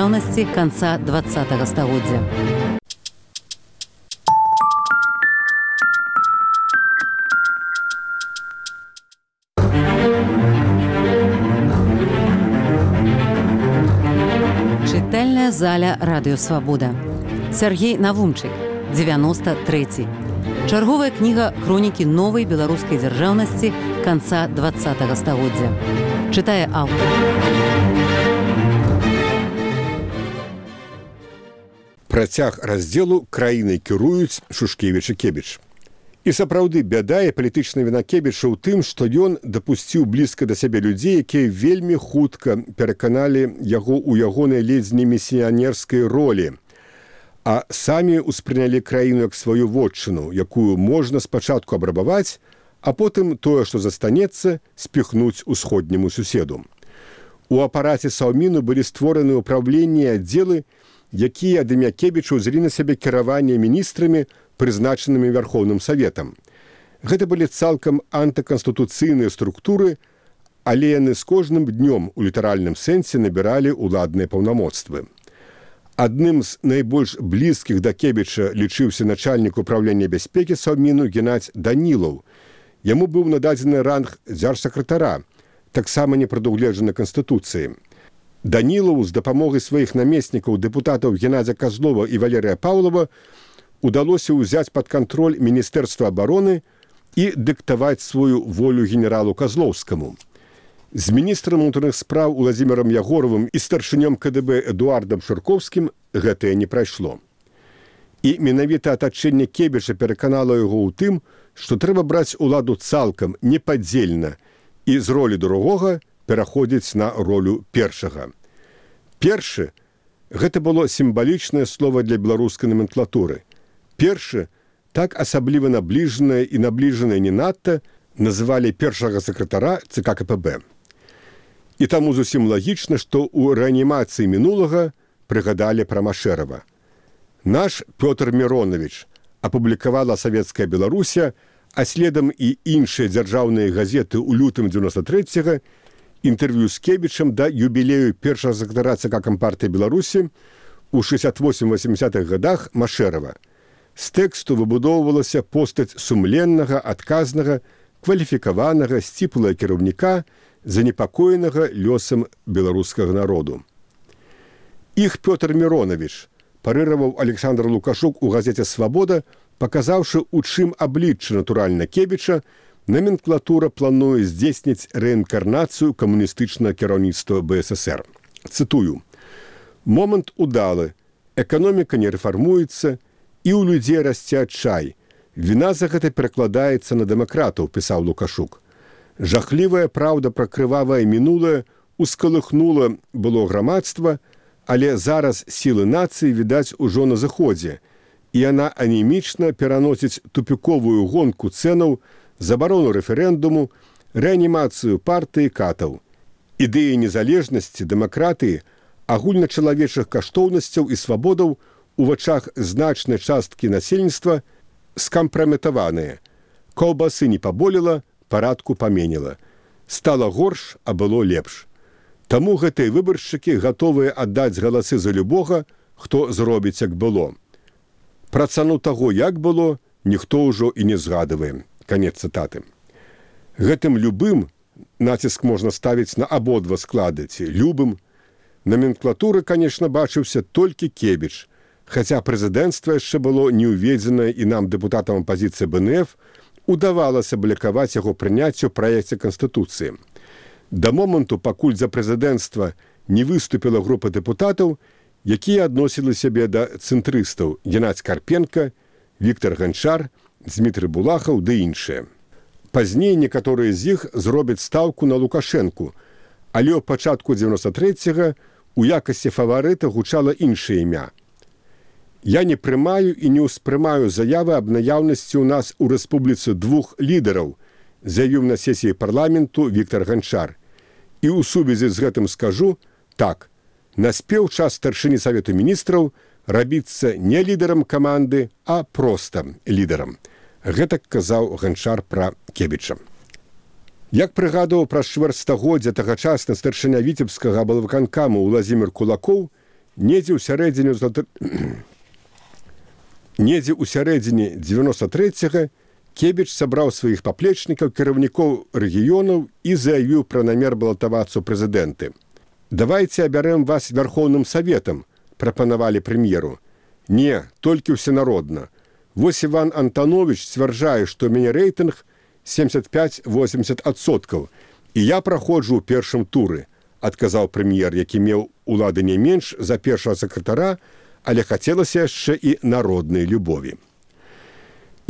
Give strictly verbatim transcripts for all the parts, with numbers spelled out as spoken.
дзяржаўнасці канца двадцатага стагоддзя. Чытальная заля радыё «Свабода». Сергей Навумчык, дзевяноста трэці. Чарговая кніга хронікі новай беларускай дзяржаўнасці канца двадцатага стагоддзя. Чытае аўтар. Працяг раздзелу краінай кіруюць Шушкевіч і Кебіч. І сапраўды бяда і палітычная віна Кебіча ў тым, што ён дапусціў блізка да сябе людзей, якія вельмі хутка пераканалі яго ў ягонай ледзь не місіянерскай ролі, а самі ўспрынялі краіну як сваю вотчыну, якую можна спачатку абрабаваць, а потым тое, што застанецца, спіхнуць усходняму суседу. У апараце Саўміну былі створаны ўпраўленні і аддзелы, якія ад імя Кебіча ўзялі на сябе кіраванне міністрамі, прызначанымі Вярхоўным Саветам. Гэта былі цалкам антыканстытуцыйныя структуры, але яны з кожным днём у літаральным сэнсе набіралі ўладныя паўнамоцтвы. Адным з найбольш блізкіх да Кебіча лічыўся начальнік управлення бяспекі Саўміну Геннадзь Данілаў. Яму быў нададзены ранг дзяржсакратара, таксама не прадугледжаны Канстытуцыяй. Данілаў з дапамогай сваіх намеснікаў дэпутатаў Геннадзя Казлова і Валерыя Паўлова удалося ўзяць пад кантроль Міністэрства абароны і дыктаваць сваю волю генералу Казлоўскаму. З міністрам унутраных спраў Уладзімірам Ягоравым і старшынём ка дэ бэ Эдуардам Шырковскім гэтае не прайшло. І менавіта атачэнне Кебіча пераканала яго ў тым, што трэба браць уладу цалкам, непадзельна, і з ролі другога пераходзіць на ролю першага. Першы – гэта было сімвалічнае слова для беларускай наменклатуры. Першы, так асабліва набліжанае і набліжанае не надта, называлі першага сакратара цэ ка ка пэ бэ. І таму зусім лагічна, што ў рэанімацыі мінулага прыгадалі пра Машэрава. Наш Пётр Міронович апублікавала «Савецкая Беларуся», а следам і іншыя дзяржаўныя газеты ў лютым дзевяноста трэцяга інтэрв'ю з Кебічам да юбілею першага сакратара цэ ка Кампартыі Беларусі ў шэсцьдзесят восем васемдзесятых гадах Машэрава. З тэксту выбудоўвалася постаць сумленнага, адказнага, кваліфікаванага, сціплага кіраўніка, занепакоенага лёсам беларускага народу. Іх Пётр Міронович парыраваў Александр Лукашук у газеце «Свабода», паказаўшы, у чым аблічча натуральна Кебіча, наменклатура плануе здзейсніць рэінкарнацыю камуністычнага кіраўніцтва бэ эс эсэр. Цытую. «Момант удалы, эканоміка не рэфармуецца, і ў людзей расце адчай. Віна за гэта перакладаецца на дэмакратаў», пісаў Лукашук. «Жахлівая праўда пра крывавае мінулае ускалыхнула было грамадства, але зараз сілы нацыі відаць ужо на заходзе, і яна анемічна пераносіць тупіковую гонку цэнаў, забарону рэферэндуму, рэанімацыю партыі катаў. Ідэі незалежнасці, дэмакратыі, агульначалавечых каштоўнасцяў і свабодаў у вачах значнай часткі насельніцтва скампраметаваныя. Каўбасы не паболела, парадку паменіла. Стала горш, а было лепш. Таму гэтыя выбаршчыкі гатовыя аддаць галасы за любога, хто зробіць як было. Пра цану таго, як было, ніхто ўжо і не згадывае». Канец цытаты. Гэтым любым націск можна ставіць на абодва склады, ці любым. Наменклатуры, канешне, бачыўся толькі Кебіч, хаця прэзідэнцтва яшчэ было не ўведзенае і нам, дэпутатам апазіцыі бэ эн эф, удавалася блякаваць яго прыняццю ў праекце Канстытуцыі. Да моманту, пакуль за прэзідэнцтва не выступіла група дэпутатаў, якія адносілі сябе да цэнтрыстаў Геннадзь Карпенка, Віктар Ганчар, Дзмітрый Булахаў ды іншыя. Пазней некаторыя з іх зробяць стаўку на Лукашэнку, але ў пачатку дзевяноста трэцяга у якасці фаварыта гучала іншае імя. «Я не прымаю і не ўспрымаю заявы аб наяўнасці ў нас у рэспубліцы двух лідараў», заявіў на сесіі парламенту Віктар Ганчар. І ў сувязі з гэтым скажу, так, наспеў час старшыні Савету міністраў рабіцца не лідарам каманды, а проста лідарам. Гэтак казаў Ганчар пра Кебіча. Як прыгадаў праз чвэрць стагоддзя тагачасны старшыня віцебскага аблвыканкаму Уладзімір Кулакоў, Недзе ў сярэдзіне недзе ў сярэдзіне дзевяноста трэцяга Кебіч сабраў сваіх паплечнікаў, кіраўнікоў рэгіёнаў і заявіў пра намер балатавацца ў прэзідэнты. «Давайце абярэм вас Вярхоўным Саветам», прапанавалі прэм'еру. «Не, толькі ўсенародна. Вось Іван Антанович сцвярджае, што ў мяне рэйтынг семьдесят пять восемьдесят адсоткаў, і я праходжу ў першым туры», адказаў прэм'ер, які меў улады не менш за першага сакратара, але хацелася яшчэ і народнай любові.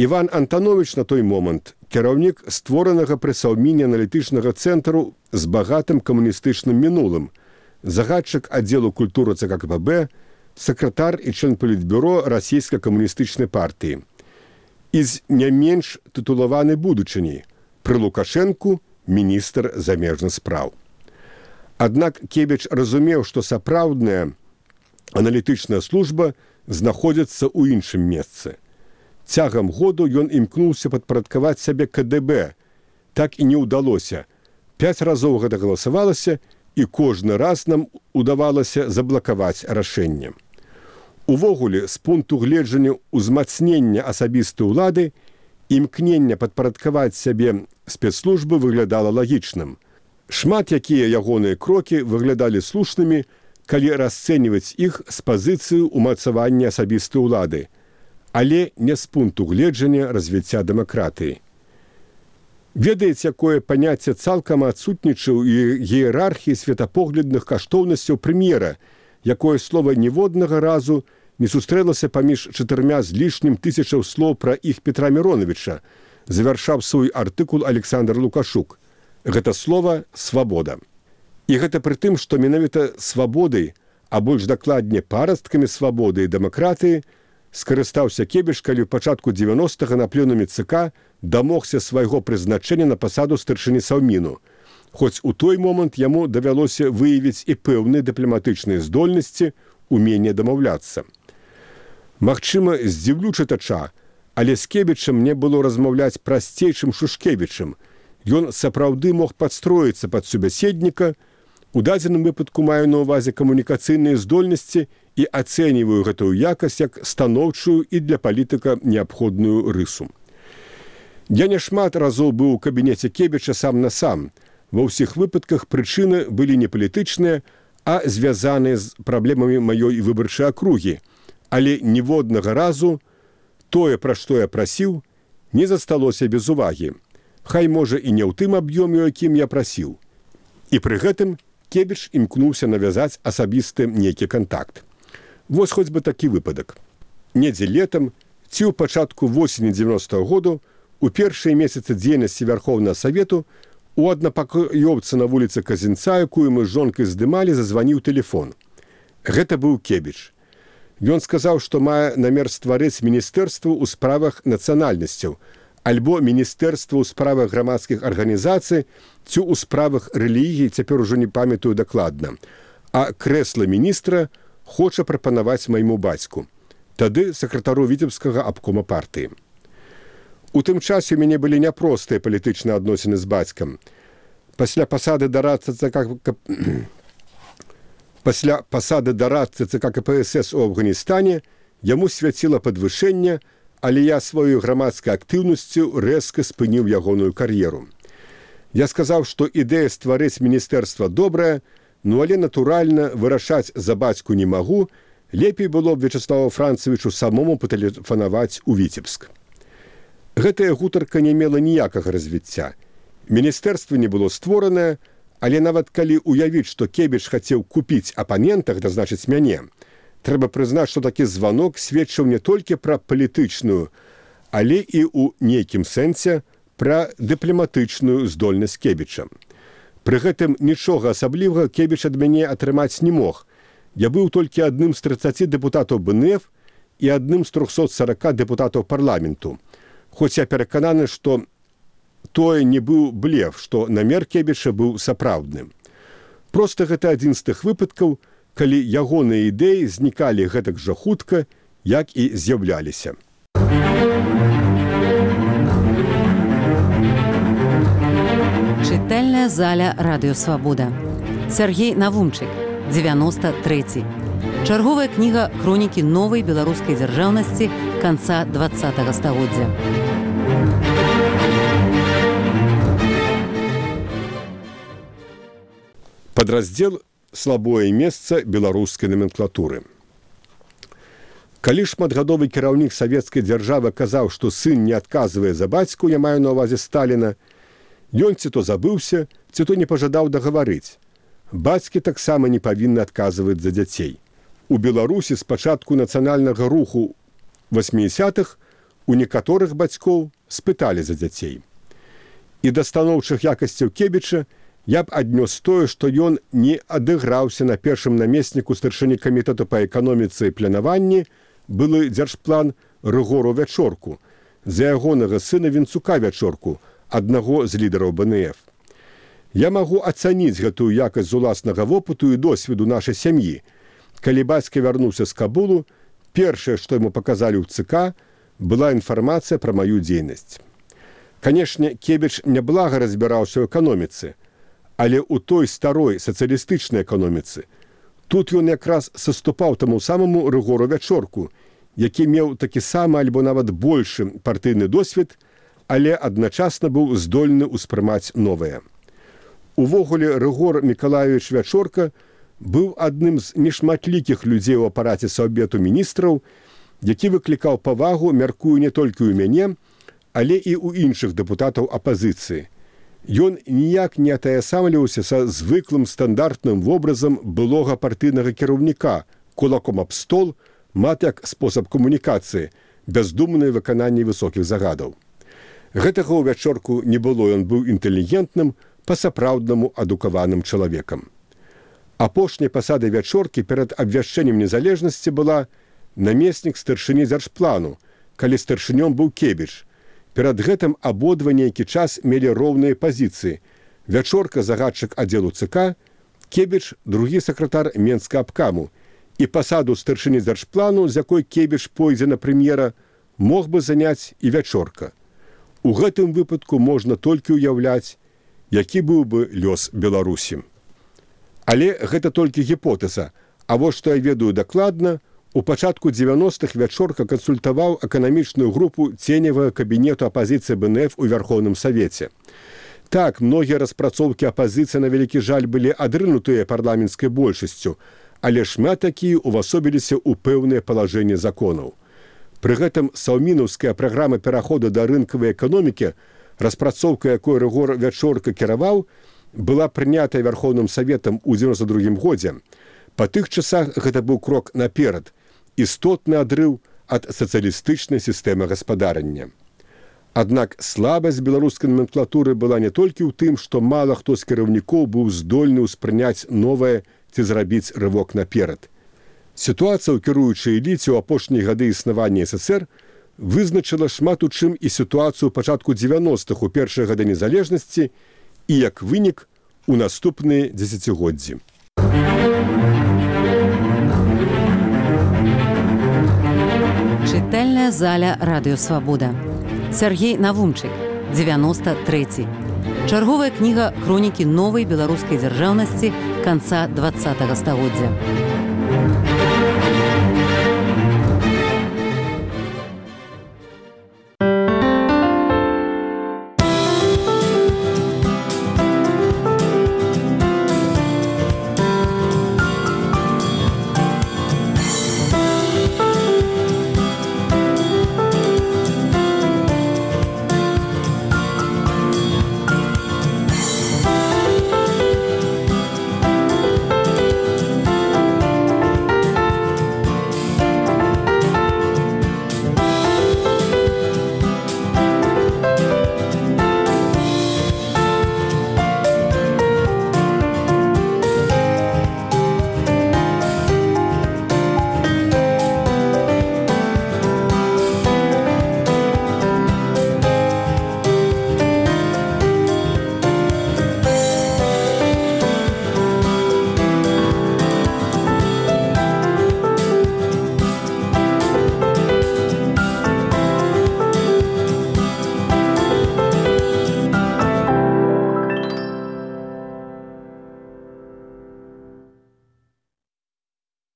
Іван Антанович на той момант кіраўнік створанага пры Саўміне аналітычнага цэнтру з багатым камуністычным мінулым, загадчык аддзелу культуры ЦК КПБ, сакратар і член палітбюро расійскай камуністычнай партыі. І з не менш тытулаванай будучыняй пры Лукашэнку міністр замежных спраў. Аднак Кебіч разумеў, што сапраўдная аналітычная служба знаходзіцца ў іншым месцы. Цягам году ён імкнуўся падпарадкаваць сябе ка дэ бэ. Так і не ўдалося. Пяць разоў гэта галасавалася, і кожны раз нам удавалася заблакаваць рашэнне. Увогуле, з пункту гледжання ўзмацнення асабістай улады, імкнення падпарадкаваць сябе спецслужбы выглядала лагічным. Шмат якія ягоныя крокі выглядалі слушнымі, калі расцэньваць іх з пазіцыі ўмацавання асабістай улады, але не з пункту гледжання развіцця дэмакратыі. Ведаеце, якое паняцце цалкам адсутнічае ў іерархіі светапоглядных каштоўнасцяў прэм'ера, якое слова ніводнага разу не сустрэлася паміж чатырма з лішнім тысячаў слоў пра іх Петра Міроновича, завяршаў свой артыкул Александр Лукашук. Гэта слова «свабода». І гэта пры тым, што менавіта свабодай, а больш дакладне парасткамі свабоды і дэмакратыі, скарыстаўся Кебіч, калі ў пачатку дзевяностага на пленуме ЦК дамогся свайго прызначэння на пасаду старшыні Саўміну, хоць у той момант яму давялося выявіць і пэўныя дыпламатычныя здольнасці, уменне дамаўляцца. Магчыма, здзіўлю чытача, але з Кебічам мне было размаўляць прасцей, чым Шушкевічам. Ён сапраўды мог падстроіцца пад субяседніка. У дадзеным выпадку маю на ўвазе камунікацыйныя здольнасці і ацэньваю гэтую якасць як станоўчую і для палітыка неабходную рысу. Я няшмат разоў быў у кабінеце Кебіча сам на сам. Ва ўсіх выпадках прычыны былі не палітычныя, а звязаныя з праблемамі маёй выбарчай акругі. Але ніводнага разу тое, пра што я прасіў, не засталося без увагі. Хай, можа, і не ў тым аб'ёме, у якім я прасіў. І пры гэтым Кебіч імкнуўся навязаць асабісты нейкі кантакт. Вось хоць бы такі выпадак. Недзе летам ці ў пачатку восені дзевяностага году у першыя месяцы дзейнасці Вярхоўнага Савету у аднапакоёўцы на вуліцы Казінца, якую мы з жонкай здымалі, зазваніў тэлефон. Гэта быў Кебіч. Ён сказаў, што мае намер стварыць міністэрства ў справах нацыянальнасцяў, альбо міністэрства ў справах грамадскіх арганізацый ці ў справах рэлігіі, цяпер ужо не памятаю дакладна. А крэсла міністра хоча прапанаваць майму бацьку, тады сакратару віцебскага абкома партыі. У тым часе у мяне былі няпростыя палітычныя адносіны з бацькам. Пасля пасады дарадцы ЦК Пасля пасады дарадцы ЦК ка пэ эс эс у Афганістане яму свяціла падвышэнне, але я сваёй грамадскай актыўнасцю рэзка спыніў ягоную кар'еру. Я сказаў, што ідэя стварыць міністэрства добрая, ну але, натуральна, вырашаць за бацьку не магу, лепей было б Вячеславу Францевічу самому патэлефанаваць у Віцебск. Гэтая гутарка не мела ніякага развіцця. Міністэрства не было створанае, але нават калі уявіць, што Кебіч хацеў купіць апанента, гэта значыць мяне, трэба прызнаць, што такі званок сведчыў не толькі пра палітычную, але і ў нейкім сэнсе пра дыпламатычную здольнасць Кебіча. Пры гэтым нічога асаблівага Кебіч ад мяне атрымаць не мог. Я быў толькі адным з трыццаці дэпутатаў бэ эн эф і адным з трохсот сарака дэпутатаў парламенту. Хоць я перакананы, што тое не быў блеф, што намер Кебіча быў сапраўдным. Проста гэта адзін з тых выпадкаў, калі ягоныя ідэі знікалі гэтак жа хутка, як і з'яўляліся. Чытальная заля Радыё Свабода. Сергей Навумчык, дзевяноста трэці. Чарговая кніга хронікі новай беларускай дзяржаўнасці канца двадцатага стагоддзя. Падраздзел «Слабое месца беларускай номенклатуры». Калі шматгадовы кіраўнік савецкай дзяржавы казаў, што сын не адказвае за бацьку, я маю на ўвазе Сталіна, ён ці то забыўся, ці то не пажадаў дагаварыць. Бацькі таксама не павінны адказваць за дзяцей. У Беларусі з пачатку нацыянальнага руху васьмідзясятых у некаторых бацькоў спыталі за дзяцей. І да станоўчых якасцяў Кебіча я б аднёс тое, што ён не адыграўся на першым намесніку старшыні камітэту па эканоміцы і планаванні былы дзяржплан Рыгору Вячорку, за ягонага сына Вінцука Вячорку, аднаго з лідараў бэ эн эф. Я магу ацаніць гэтую якасць з уласнага вопыту і досведу нашай сям'і. Калі бацька вярнуўся з Кабулу, першае, што яму паказалі ў ЦК, была інфармацыя пра маю дзейнасць. Канешне, Кебіч няблага разбіраўся ў эканоміцы, але ў той старой сацыялістычнай эканоміцы тут ён якраз саступаў таму самаму Рыгору Вячорку, які меў такі самы альбо нават большы партыйны досвед, але адначасна быў здольны ўспрымаць новае. Увогуле, Рыгор Мікалаевіч Вячорка быў адным з нешматлікіх людзей у апараце Саўбету міністраў, які выклікаў павагу, мяркую, не толькі ў мяне, але і ў іншых дэпутатаў апазіцыі. Ён ніяк не атаясамліваўся са звыклым стандартным вобразам былога партыйнага кіраўніка, кулаком аб стол, мат як спосаб камунікацыі, бяздумнае выкананне высокіх загадаў. Гэтага ў Вячорку не было, ён быў інтэлігентным, па-сапраўднаму адукаваным чалавекам. Апошняй пасадай Вячоркі перад абвяшчэннем незалежнасці была намеснік старшыні дзяржплану, калі старшынём быў Кебіч. Перад гэтым абодва нейкі час мелі роўныя пазіцыі. Вячорка загадчык аддзелу ЦК, Кебіч другі сакратар Менскаабкаму. І пасаду старшыні дзяржплану, з якой Кебіч пойдзе на прэм'ера, мог бы заняць і Вячорка. У гэтым выпадку можна толькі ўяўляць, які быў бы лёс Беларусі. Але гэта толькі гіпотэза, а вось што я ведаю дакладна, у пачатку дзевяностых Вячорка кансультаваў эканамічную групу ценевага кабінету апазіцыі бэ эн эф у Вярхоўным Савеце. Так, многія распрацоўкі апазіцыі, на вялікі жаль, былі адрынутыя парламенцкай большасцю, але шмат такія ўвасобіліся ў пэўныя палажэнні законаў. Пры гэтым саўмінаўская праграма пераходу да рынкавай эканомікі, распрацоўка якой Рыгор Вячорка кіраваў, была прынятая Вярхоўным Саветам у дзевяноста другім годзе. Па тых часах гэта быў крок наперад, істотны адрыў ад сацыялістычнай сістэмы гаспадарання. Аднак слабасць беларускай номенклатуры была не толькі ў тым, што мала хто з кіраўнікоў быў здольны ўспрыняць новае ці зрабіць рывок наперад. Сітуацыя ў кіруючай эліце ў апошнія гады існавання эс эс эс эр вызначыла шмат у чым і сітуацыю ў пачатку дзевяностых у першыя гады незалежнасці і, як вынік, у наступныя дзесяцігоддзі. Чытальная заля Радыё Свабода. Сяргей Навумчык, дзевяноста трэці. Чарговая кніга хронікі новай беларускай дзяржаўнасці канца двадцатага стагоддзя.